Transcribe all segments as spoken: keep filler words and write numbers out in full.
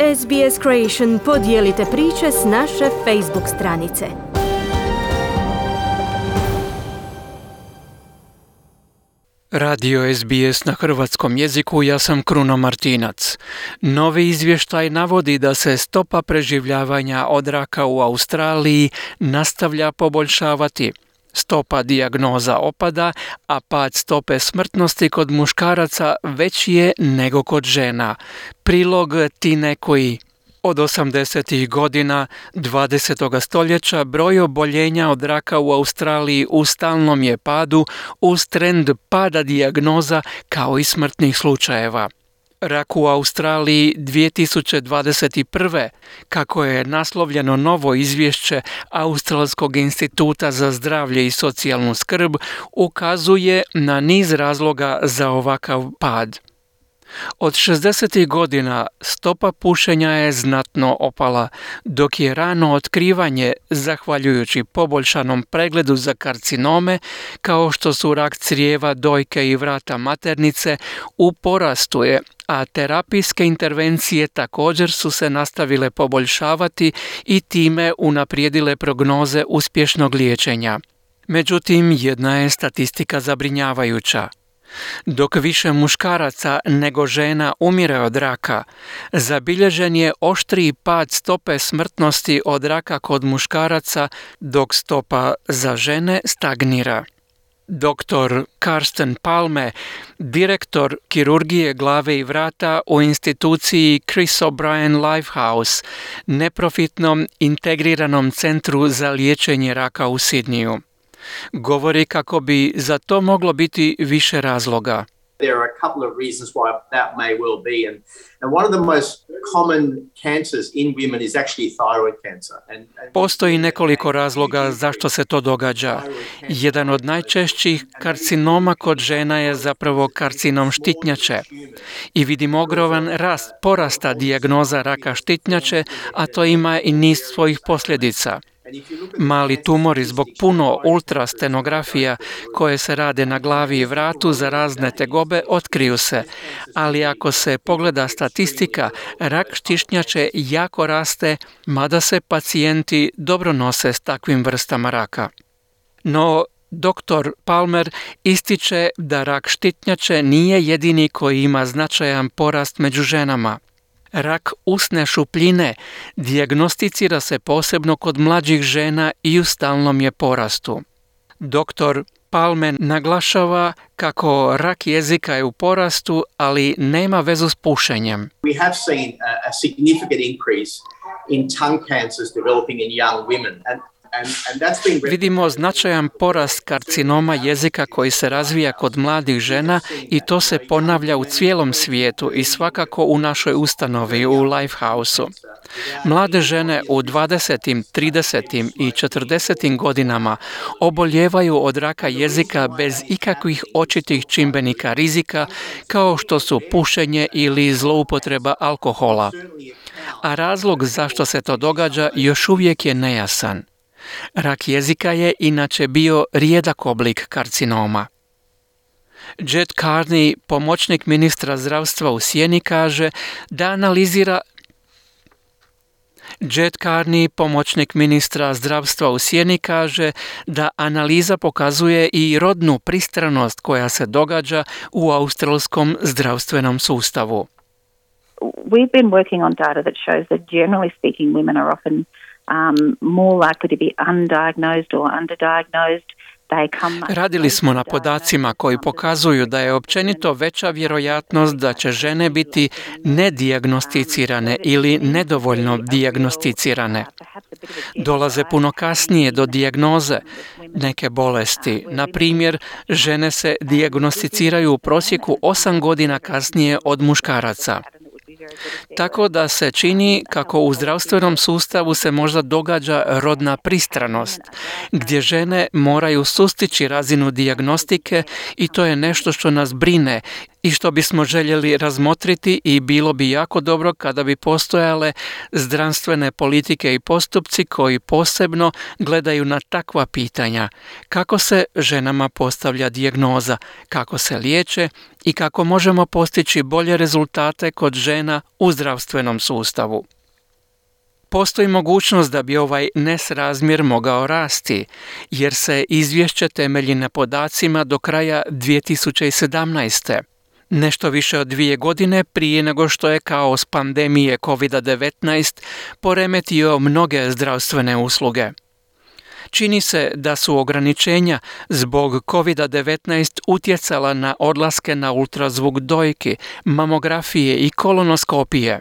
S B S Creation podijelite priče s naše Facebook stranice. Radio S B S na hrvatskom jeziku, ja sam Kruno Martinac. Novi izvještaj navodi da se stopa preživljavanja od raka u Australiji nastavlja poboljšavati. Stopa dijagnoza opada, a pad stope smrtnosti kod muškaraca veći je nego kod žena. Prilog Tine Kui. Od osamdesetih godina dvadesetog stoljeća broj oboljenja od raka u Australiji u stalnom je padu uz trend pada dijagnoza kao i smrtnih slučajeva. Rak u Australiji dvije tisuće dvadeset prve, kako je naslovljeno novo izvješće Australskog instituta za zdravlje i socijalnu skrb, ukazuje na niz razloga za ovakav pad. Od šezdesetih godina stopa pušenja je znatno opala, dok je rano otkrivanje, zahvaljujući poboljšanom pregledu za karcinome, kao što su rak crijeva, dojke i vrata maternice, u porastu je, a terapijske intervencije također su se nastavile poboljšavati i time unaprijedile prognoze uspješnog liječenja. Međutim, jedna je statistika zabrinjavajuća. Dok više muškaraca nego žena umire od raka, zabilježen je oštriji pad stope smrtnosti od raka kod muškaraca, dok stopa za žene stagnira. Doktor Karsten Palme, direktor kirurgije glave i vrata u instituciji Chris O'Brien Lifehouse, neprofitnom integriranom centru za liječenje raka u Sidniju, govori kako bi za to moglo biti više razloga. There are a couple of reasons why that may well be, and, and one of the most common cancers in women is actually thyroid cancer. And, and Postoji nekoliko razloga zašto se to događa. Jedan od najčešćih karcinoma kod žena je zapravo karcinom štitnjače. I vidimo ogroman rast porasta dijagnoza raka štitnjače, a to ima i niz svojih posljedica. Mali tumori zbog puno ultrastenografija koje se rade na glavi i vratu za razne tegobe otkriju se, ali ako se pogleda statistika, rak štišnjače jako raste, mada se pacijenti dobro nose s takvim vrstama raka. No, doktor Palmer ističe da rak štitnjače nije jedini koji ima značajan porast među ženama. Rak usne šupljine dijagnosticira se posebno kod mlađih žena i u stalnom je porastu. Doktor Palmer naglašava kako rak jezika je u porastu, ali nema vezu s pušenjem. we have seen a, a significant increase in tongue cancers developing in young women, and And, and that's been... Vidimo značajan porast karcinoma jezika koji se razvija kod mladih žena i to se ponavlja u cijelom svijetu i svakako u našoj ustanovi, u Lifehouse-u. Mlade žene u dvadesetim, tridesetim i četrdesetim godinama oboljevaju od raka jezika bez ikakvih očitih čimbenika rizika kao što su pušenje ili zloupotreba alkohola. A razlog zašto se to događa još uvijek je nejasan. Rak jezika je inače bio rijedak oblik karcinoma. Jed Carney, pomoćnik ministra zdravstva u Sjeni, kaže da analizira Jed Carney, pomoćnik ministra zdravstva u Sjeni, kaže da analiza pokazuje i rodnu pristranost koja se događa u australskom zdravstvenom sustavu. We've been working on data that shows that generally speaking women are often Um, more likely to be undiagnosed or underdiagnosed. Radili smo na podacima koji pokazuju da je općenito veća vjerojatnost da će žene biti nedijagnosticirane ili nedovoljno dijagnosticirane. Dolaze puno kasnije do dijagnoze neke bolesti. Na primjer, žene se dijagnosticiraju u prosjeku osam godina kasnije od muškaraca. Tako da se čini kako u zdravstvenom sustavu se možda događa rodna pristranost, gdje žene moraju sustići razinu dijagnostike i to je nešto što nas brine i što bismo željeli razmotriti i bilo bi jako dobro kada bi postojale zdravstvene politike i postupci koji posebno gledaju na takva pitanja. Kako se ženama postavlja dijagnoza, kako se liječe i kako možemo postići bolje rezultate kod žena u zdravstvenom sustavu. Postoji mogućnost da bi ovaj nesrazmjer mogao rasti, jer se izvješće temelji na podacima do kraja dvije tisuće sedamnaeste. Nešto više od dvije godine prije nego što je kaos pandemije kovid devetnaest poremetio mnoge zdravstvene usluge. Čini se da su ograničenja zbog kovid devetnaest utjecala na odlaske na ultrazvuk dojki, mamografije i kolonoskopije.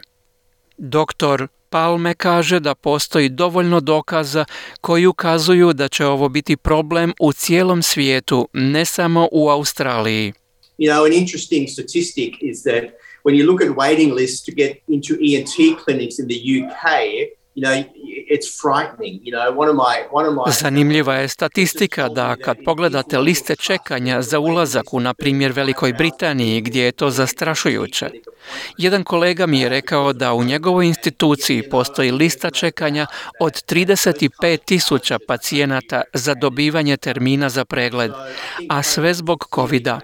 Doktor Palme kaže da postoji dovoljno dokaza koji ukazuju da će ovo biti problem u cijelom svijetu, ne samo u Australiji. You know, an interesting statistic is that when you look at waiting lists to get into E N T clinics in the U K, you know, it's frightening. You know, one of my one of my Zanimljiva je statistika da kad pogledate liste čekanja za ulazak u, na primjer, Velikoj Britaniji, gdje je to zastrašujuće. Jedan kolega mi je rekao da u njegovoj instituciji postoji lista čekanja od trideset pet tisuća pacijenata za dobivanje termina za pregled, a sve zbog covida.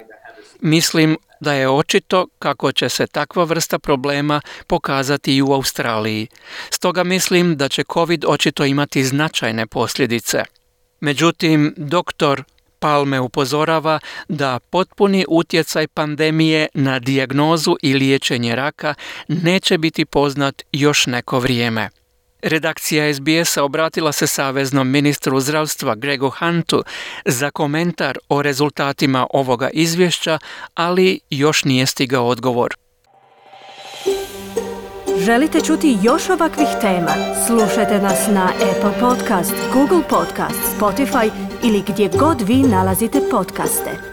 Mislim da je očito kako će se takva vrsta problema pokazati i u Australiji. Stoga mislim da će COVID očito imati značajne posljedice. Međutim, doktor Palme upozorava da potpuni utjecaj pandemije na dijagnozu i liječenje raka neće biti poznat još neko vrijeme. Redakcija S B S-a obratila se saveznom ministru zdravstva Gregu Huntu za komentar o rezultatima ovoga izvješća, ali još nije stigao odgovor. Želite čuti još ovakvih tema? Slušajte nas na Apple Podcast, Google Podcast, Spotify ili gdje god vi nalazite podcaste.